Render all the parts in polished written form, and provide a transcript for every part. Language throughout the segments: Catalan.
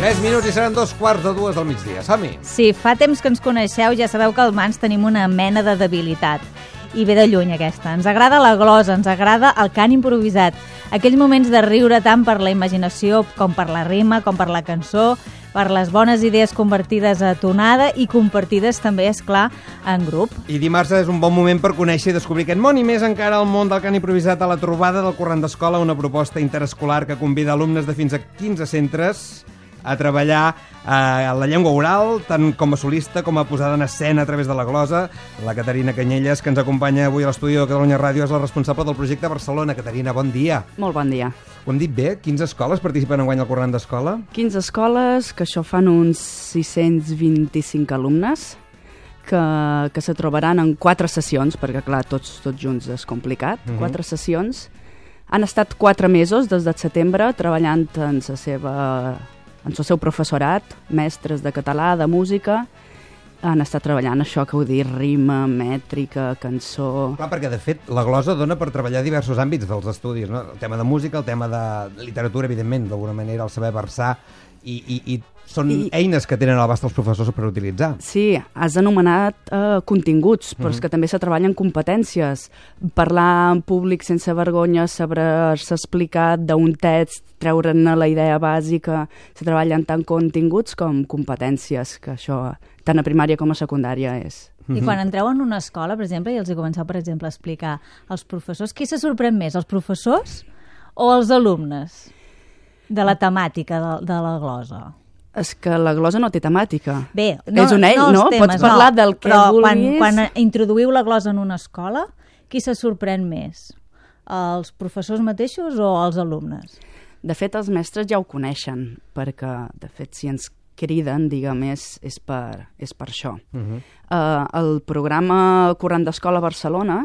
3 minuts i seran 2:45 del migdia. Som-hi! Sí, fa temps que ens coneixeu, ja sabeu que al Mans tenim una mena de debilitat. I ve de lluny aquesta. Ens agrada la glosa, ens agrada el cant improvisat. Aquells moments de riure tant per la imaginació com per la rima, com per la cançó, per les bones idees convertides a tonada i compartides també, és clar, en grup. I dimarts és un bon moment per conèixer i descobrir aquest món i més encara el món del cant improvisat a la trobada del Corrent d'Escola, una proposta interescolar que convida alumnes de fins a 15 centres a treballar a la llengua oral, tant com a solista com a posada en escena a través de la glosa. La Caterina Canyelles, que ens acompanya avui a l'estudi de Catalunya Ràdio, és la responsable del projecte Barcelona. Caterina, bon dia. Molt bon dia. Ho hem dit bé? 15 escoles participen enguany al Corrent d'Escola? 15 escoles, que això fan uns 625 alumnes, que se trobaran en 4 sessions, perquè clar, tots junts és complicat, 4 sessions. Han estat 4 mesos des de setembre treballant en el seu professorat, mestres de català, de música. Han estat treballant això que ho dir, rima, mètrica, cançó... Clar, perquè de fet la glosa dona per treballar diversos àmbits dels estudis, no? El tema de música, el tema de literatura, evidentment, d'alguna manera, el saber versar, i són eines que tenen a l'abast els professors per utilitzar. Sí, has anomenat continguts, però és que també se treballen competències. Parlar en públic sense vergonya, saber-se explicar d'un text, treure'n la idea bàsica, se treballen tant continguts com competències, que això, tant a primària com a secundària, és... I quan entreu en una escola, per exemple, i els hi comenceu, per exemple, a explicar als professors, qui se sorprèn més, els professors o els alumnes de la temàtica de la glosa? És que la glosa no té temàtica. Bé, és un ell, no? Temes, pots parlar del que vulguis. Quan introduïu la glosa en una escola, qui se sorprèn més? Els professors mateixos o els alumnes? De fet, els mestres ja ho coneixen, perquè, de fet, si ens criden, diguem, és per això. El programa Corrent d'Escola Barcelona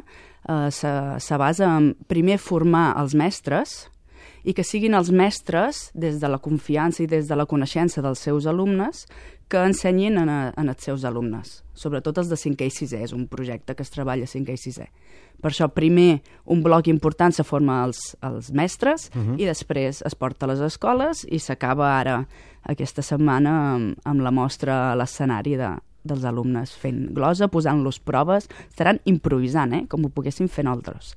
se basa en, primer, formar els mestres, i que siguin els mestres, des de la confiança i des de la coneixença dels seus alumnes, que ensenyin als seus alumnes, sobretot els de 5è i 6è, és un projecte que es treballa a 5è i 6è. Per això, primer, un bloc important se forma els mestres i després es porta a les escoles i s'acaba ara, aquesta setmana, amb la mostra a l'escenari dels alumnes fent glosa, posant-los proves, estaran improvisant, com ho poguessin fer nosaltres.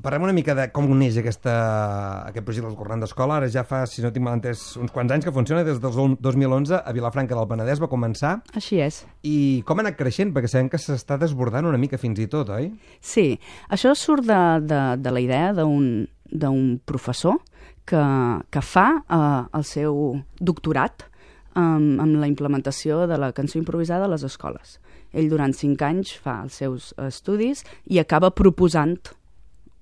Parlem una mica de com neix aquest projecte del Corrent d'Escola. Ara ja fa, si no tinc mal entès, uns quants anys que funciona, des del 2011 a Vilafranca del Penedès va començar. Així és. I com ha anat creixent? Perquè sabem que s'està desbordant una mica fins i tot, oi? Sí, això surt de la idea d'un professor que fa el seu doctorat amb la implementació de la cançó improvisada a les escoles. Ell durant 5 anys fa els seus estudis i acaba proposant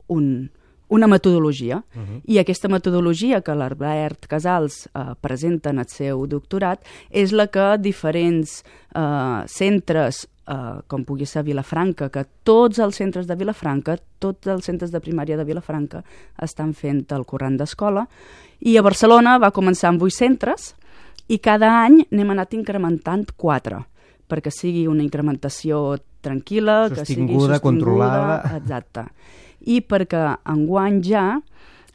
una metodologia. I aquesta metodologia que l'Albert Casals presenta en el seu doctorat és la que diferents centres, com pugui ser Vilafranca, que tots els centres de Vilafranca, tots els centres de primària de Vilafranca estan fent el Corrent d'Escola, i a Barcelona va començar amb 8 centres i cada any n'hem anat incrementant 4, perquè sigui una incrementació tranquil·la, que sigui sostinguda, controlada. Exacte. I perquè enguany ja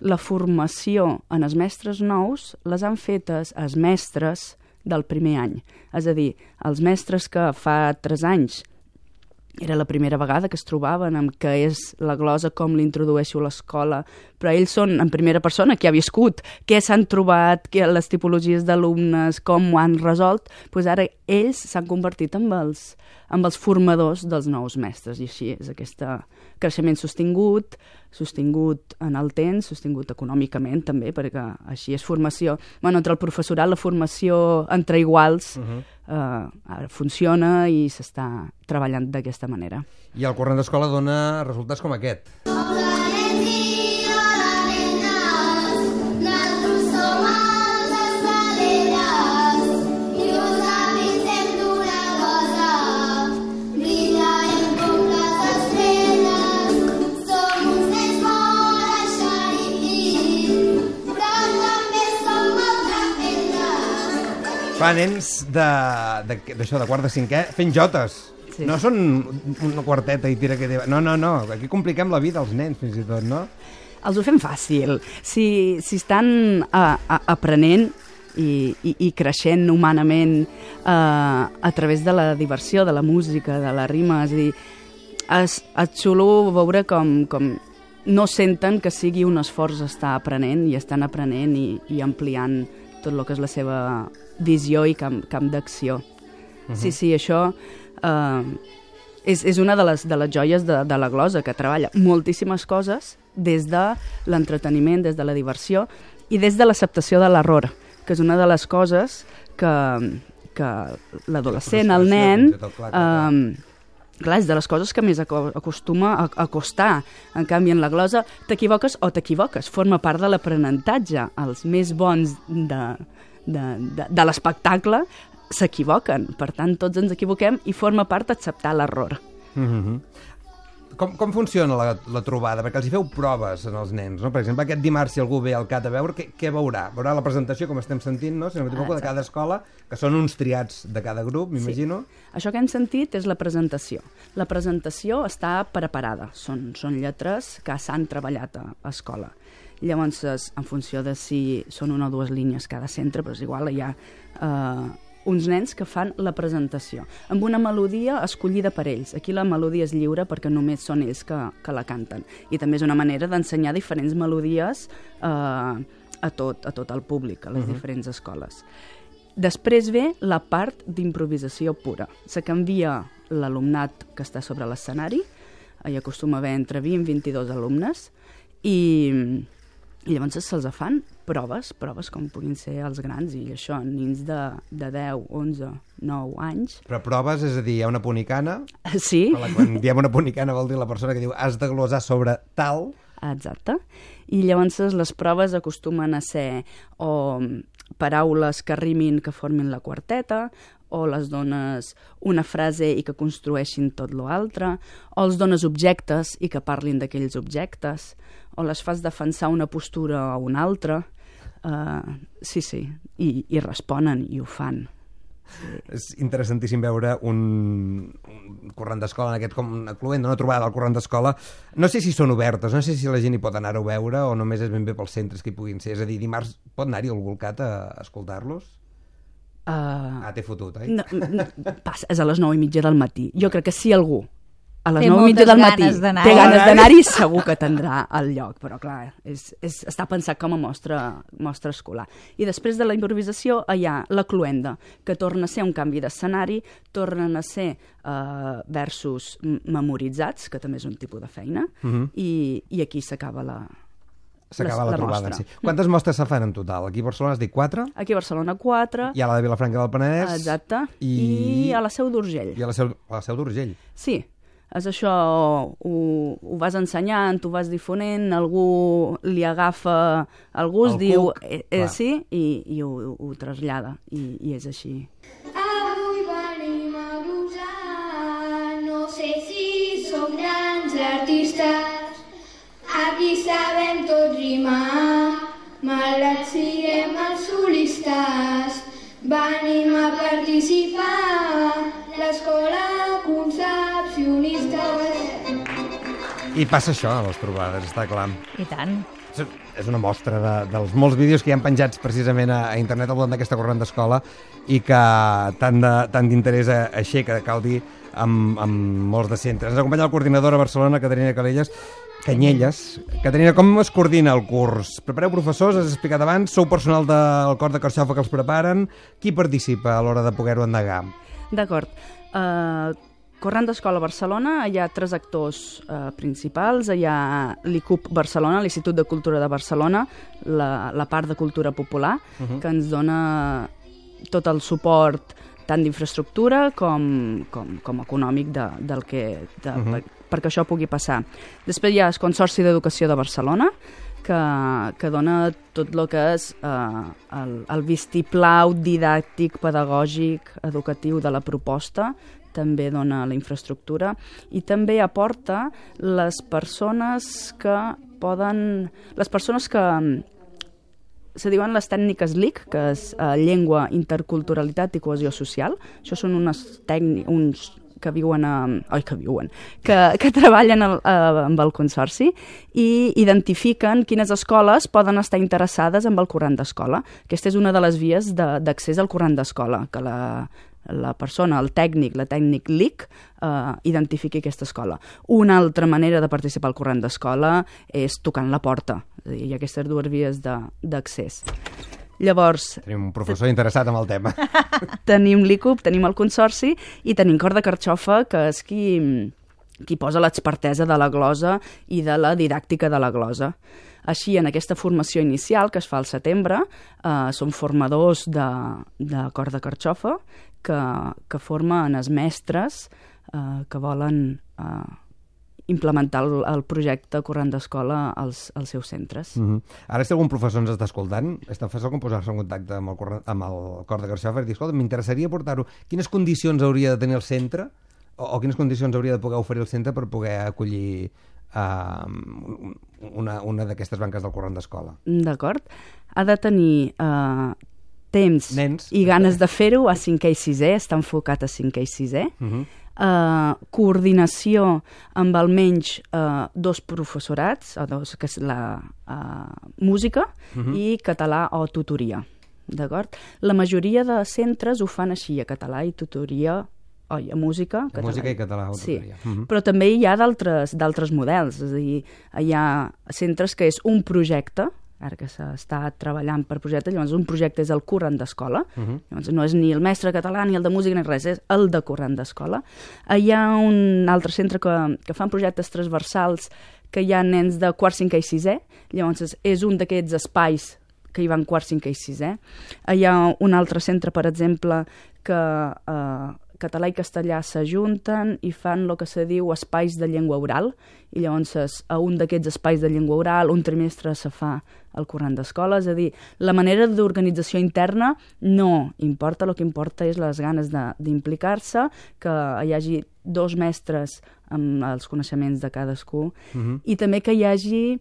la formació en els mestres nous les han fetes els mestres del primer any. És a dir, els mestres que fa 3 anys era la primera vegada que es trobaven amb què és la glosa, com l'introdueixo a l'escola, però ells són en primera persona, qui ha viscut, què s'han trobat, les tipologies d'alumnes, com ho han resolt, doncs ara ells s'han convertit en els formadors dels nous mestres, i així és aquest creixement sostingut en el temps, sostingut econòmicament també, perquè així és formació. Entre el professorat, la formació entre iguals ara funciona i s'està treballant d'aquesta manera. I el Corrent d'Escola dona resultats com aquest. Fa nens d'això, de quart de 5è, fent jotes. Sí. No són una quarteta i tira que... No, aquí compliquem la vida als nens, fins i tot, no? Els ho fem fàcil. Si estan aprenent, i creixent humanament a través de la diversió, de la música, de la rima. És a dir, és xulo veure com no senten que sigui un esforç estar aprenent i estan aprenent i ampliant tot el que és la seva visió i camp d'acció. Sí, això és una de les joies de la glosa, que treballa moltíssimes coses des de l'entreteniment, des de la diversió i des de l'acceptació de l'error, que és una de les coses que l'adolescent, el nen... Clar, és de les coses que més acostuma a costar. En canvi, en la glosa t'equivoques o t'equivoques. Forma part de l'aprenentatge. Els més bons de l'espectacle s'equivoquen. Per tant, tots ens equivoquem i forma part d'acceptar l'error. Com funciona la trobada? Perquè els hi feu proves en els nens, no? Per exemple, aquest dimarts, si algú ve al CAT a veure, què veurà? Veurà la presentació, com estem sentint, no? Si no m'equivoco, de cada escola, que són uns triats de cada grup, m'imagino. Sí. Això que hem sentit és la presentació. La presentació està preparada. Són lletres que s'han treballat a escola. Llavors, en funció de si són una o dues línies cada centre, però és igual, hi ha uns nens que fan la presentació amb una melodia escollida per ells. Aquí la melodia és lliure perquè només són ells que la canten. I també és una manera d'ensenyar diferents melodies a tot el públic, a les diferents escoles. Després ve la part d'improvisació pura. Se canvia l'alumnat que està sobre l'escenari, hi acostuma a haver entre 20 i 22 alumnes, i llavors se'ls fan proves com puguin ser els grans, i això, nens de 10, 11, 9 anys. Però proves, és a dir, hi ha una punicana? Sí. Quan diem una punicana vol dir la persona que diu has de glosar sobre tal. Exacte. I llavors les proves acostumen a ser o paraules que rimin, que formin la quarteta, o les dones una frase i que construeixin tot l'altre, o els dones objectes i que parlin d'aquells objectes, o les fas defensar una postura o una altra. Sí, i responen i ho fan. És interessantíssim veure un corrent d'escola, en aquest com una cluenda, una trobada del corrent d'escola. No sé si són obertes, no sé si la gent hi pot anar a veure o només és ben bé pels centres que hi puguin ser. És a dir, dimarts pot anar-hi algú al CAT a escoltar-los? T'he fotut, oi? No, passa, és a les 9:30 del matí. Jo crec que si algú a les 9:30 del matí té ganes d'anar-hi, segur que tindrà el lloc, però clar, està pensat com a mostra escolar. I després de la improvisació hi ha la cluenda, que torna a ser un canvi d'escenari, tornen a ser versos memoritzats, que també és un tipus de feina, i aquí s'acaba la trobada. Sí. Quantes mostres se fan en total? Aquí a Barcelona has dit 4? Aquí a Barcelona 4. Hi ha la de Vilafranca del Penedès. Exacte. I a la Seu d'Urgell. I a la Seu d'Urgell. Sí. És això, ho vas ensenyant, ho vas difonent, algú li agafa el gust, diu sí, i ho trasllada, i és així. Avui venim a glosar, no sé si som grans artistes, aquí sabem tot rimar, malgrat siguem els solistes, venim a participar, l'escola concepcionista. I passa això a les trobades, està clar. I tant. És una mostra dels molts vídeos que hi han penjats precisament a internet al voltant d'aquesta corrent d'escola i que tant d'interès aixeca, cal dir, amb molts de centres. Ens acompanya la coordinadora a Barcelona, Caterina Canyelles. Caterina, com es coordina el curs? Prepareu professors, has explicat abans, sou personal del cor de Carxofa que els preparen. Qui participa a l'hora de poder-ho endegar? D'acord. Corrent d'Escola Barcelona, hi ha 3 actors principals. Hi ha l'ICUP Barcelona, l'Institut de Cultura de Barcelona, la part de cultura popular, que ens dona tot el suport tant d'infraestructura com econòmic perquè això pugui passar. Després hi ha el Consorci d'Educació de Barcelona, que dona tot el que és el vistiplau didàctic, pedagògic, educatiu de la proposta, també dona la infraestructura i també aporta les persones que se diuen les tècniques LIC, que és llengua, interculturalitat i cohesió social. Això són uns que treballen amb el Consorci i identifiquen quines escoles poden estar interessades amb el corrent d'escola. Aquesta és una de les vies d'accés al corrent d'escola, que la persona, la tècnic LIC, identifiqui aquesta escola. Una altra manera de participar al corrent d'escola és tocant la porta. És a dir, hi ha aquestes dues vies d'accés. Llavors... Tenim un professor interessat en el tema. Tenim l'ICUP, tenim el Consorci i tenim Cor de Carxofa, que és qui posa l'expertesa de la glosa i de la didàctica de la glosa. Així, en aquesta formació inicial, que es fa al setembre, són formadors de Cor de Carxofa que formen els mestres que volen implementar el projecte Corrent d'Escola als seus centres. Ara, si algun professor ens està escoltant, és tan fàcil com posar-se en contacte amb el Cor de Carxofa i dir, escolta, m'interessaria portar-ho. Quines condicions hauria de tenir el centre o quines condicions hauria de poder oferir el centre per poder acollir una d'aquestes banques del corrent d'escola? D'acord. Ha de tenir temps i ganes de fer-ho a 5è i 6è, està enfocat a 5è i 6è. Coordinació amb almenys 2 professorats, que és la música i català o tutoria. D'acord? La majoria de centres ho fan així, a català i tutoria, a música, català. Música i català o tutoria. Sí, però també hi ha d'altres models, és a dir, hi ha centres que és un projecte, ara que s'està treballant per projecte, llavors un projecte és el corrent d'escola, llavors no és ni el mestre català ni el de música ni res, és el de corrent d'escola. Hi ha un altre centre que fan projectes transversals que hi ha nens de quart, 5è i 6è, llavors és un d'aquests espais que hi van quart, 5è i 6è. Hi ha un altre centre, per exemple, que català i castellà s'ajunten i fan el que se diu espais de llengua oral, i llavors a un d'aquests espais de llengua oral un trimestre se fa el corrent d'escola, és a dir, la manera d'organització interna no importa, el que importa és les ganes d'implicar-se, que hi hagi 2 mestres amb els coneixements de cadascú, i també que hi hagi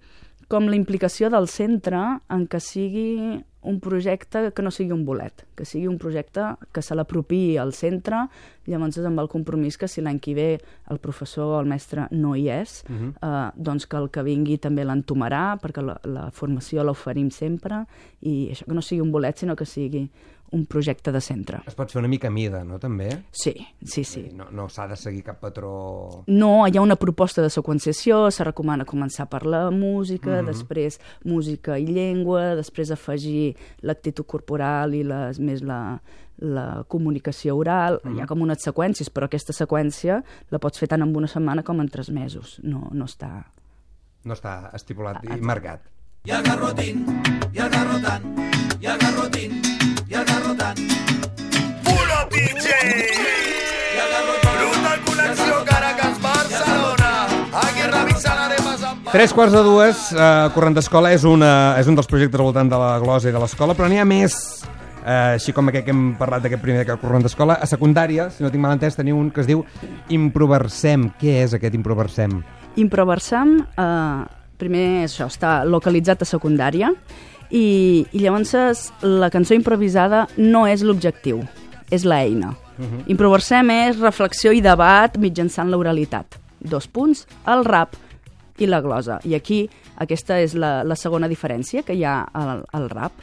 com la implicació del centre en que sigui un projecte que no sigui un bolet, que sigui un projecte que se l'apropiï al centre, llavors amb el compromís que si l'any que ve el professor o el mestre no hi és, doncs que el que vingui també l'entomarà, perquè la formació l'oferim sempre, i això que no sigui un bolet, sinó que sigui un projecte de centre. Es pot fer una mica a mida, no, també? Sí. No s'ha de seguir cap patró... No, hi ha una proposta de seqüenciació, se recomana començar per la música, després música i llengua, després afegir l'actitud corporal i més la comunicació oral. Hi ha com unes seqüències, però aquesta seqüència la pots fer tant en una setmana com en 3 mesos. No està... No està estipulat i marcat. I el garrotín, i el garrotant, i el garrotín, i el garrotant. Pulo DJ! I el garrotín. Brutal connexió Caracas-Barcelona. Aquí revisant aremes amb... 3:45, Corrent d'Escola és un dels projectes al voltant de la glosa i de l'escola, però n'hi ha més, així com aquest que hem parlat d'aquest primer que Corrent d'Escola. A secundària, si no tinc mal entès, teniu un que es diu Improversem. Què és aquest Improversem? Improversem, primer això, està localitzat a secundària, i llavors la cançó improvisada no és l'objectiu, és l'eina. Improversem és reflexió i debat mitjançant l'oralitat. 2 punts, el rap i la glosa. I aquí aquesta és la segona diferència que hi ha al rap.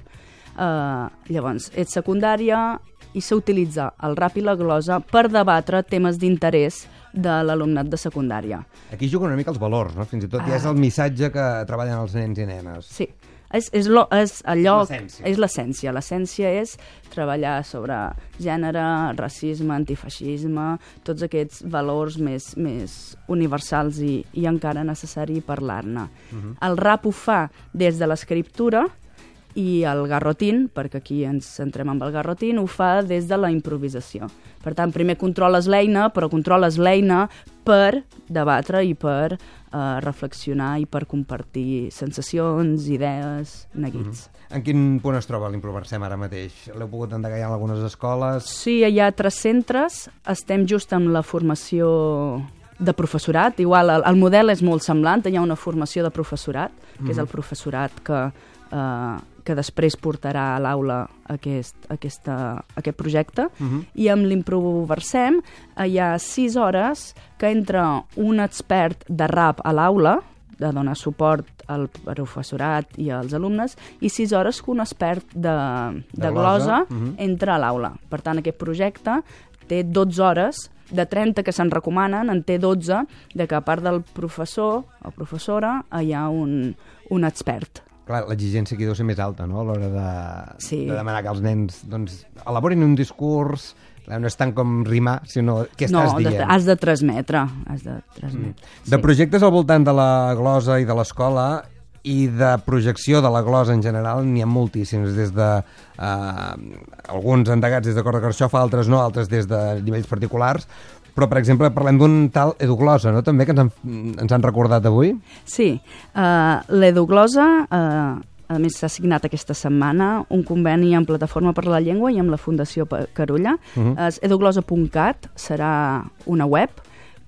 Llavors, és secundària i s'utilitza el rap i la glosa per debatre temes d'interès de l'alumnat de secundària. Aquí juguen una mica els valors, no? Fins i tot ja és el missatge que treballen els nens i nenes. Sí, és allò... L'essència. És l'essència. L'essència és treballar sobre gènere, racisme, antifeixisme, tots aquests valors més universals i encara necessari parlar-ne. El rap ho fa des de l'escriptura, i el garrotín, perquè aquí ens centrem amb el garrotín, ho fa des de la improvisació. Per tant, primer controles l'eina, però controles l'eina per debatre i per reflexionar i per compartir sensacions, idees, neguits. En quin punt es troba l'Improversem ara mateix? L'heu pogut endegar en algunes escoles? Sí, hi ha 3 centres, estem just amb la formació de professorat. Igual, el model és molt semblant, hi ha una formació de professorat, que és el professorat que que després portarà a l'aula aquest projecte, i amb l'Improversem hi ha 6 hores que entra un expert de rap a l'aula, de donar suport al professorat i als alumnes, i 6 hores que un expert de glosa entra a l'aula. Per tant, aquest projecte té 12 hores, de 30 que se'n recomanen, en té 12, de que a part del professor o professora hi ha un expert. Clar, l'exigència aquí deu ser més alta, no?, a l'hora Sí. de demanar que els nens elaborin un discurs. No és tant com rimar, sinó què estàs dient. Has de transmetre. De projectes al voltant de la glosa i de l'escola i de projecció de la glosa en general n'hi ha moltíssims, des de alguns endegats des de Cor de Carxofa, altres no, altres des de nivells particulars, però, per exemple, parlem d'un tal Eduglosa, no?, també, que ens han recordat avui. Sí, l'Eduglosa, a més, s'ha signat aquesta setmana un conveni amb Plataforma per la Llengua i amb la Fundació Carulla. Eduglosa.cat serà una web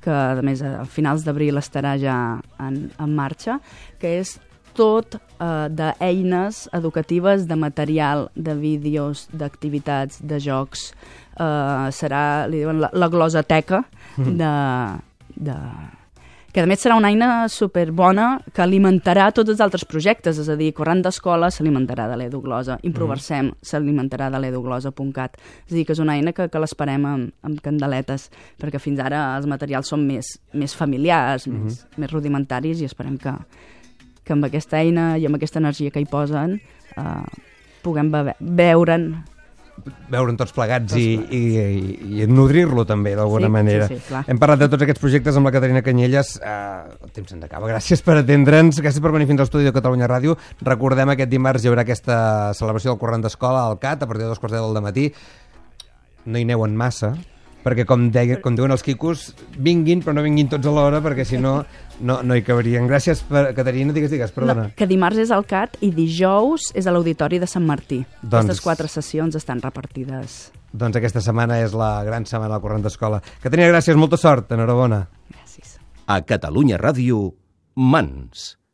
que, a més, a finals d'abril estarà ja en marxa, que és tot d'eines educatives, de material, de vídeos, d'activitats, de jocs. Serà, li diuen, la glosateca que a més serà una eina superbona que alimentarà tots els altres projectes, és a dir, Corrent d'Escola s'alimentarà de l'Eduglosa, Improversem s'alimentarà de l'Eduglosa.cat, és a dir, que és una eina que l'esperem amb candeletes, perquè fins ara els materials són més familiars, més rudimentaris, i esperem que amb aquesta eina i amb aquesta energia que hi posen puguem veure'n tots plegats i nodrir-lo també, d'alguna manera. Sí, clar. Hem parlat de tots aquests projectes amb la Caterina Canyelles. El temps se'ns acaba. Gràcies per atendre'ns, gràcies per venir fins a l'estudi de Catalunya Ràdio. Recordem, aquest dimarts hi haurà aquesta celebració del Corrent d'Escola al CAT a partir de 2:15 del matí. No hi aneu en massa, perquè com diuen els quicos, vinguin, però no vinguin tots alhora, perquè si no, no hi cabrien. Gràcies, Caterina, digues, perdona. No, que dimarts és al CAT i dijous és a l'Auditori de Sant Martí. Aquestes 4 sessions estan repartides. Doncs aquesta setmana és la gran setmana del Corrent d'Escola. Caterina, gràcies, molta sort, enhorabona. Gràcies. A Catalunya Ràdio, Mans.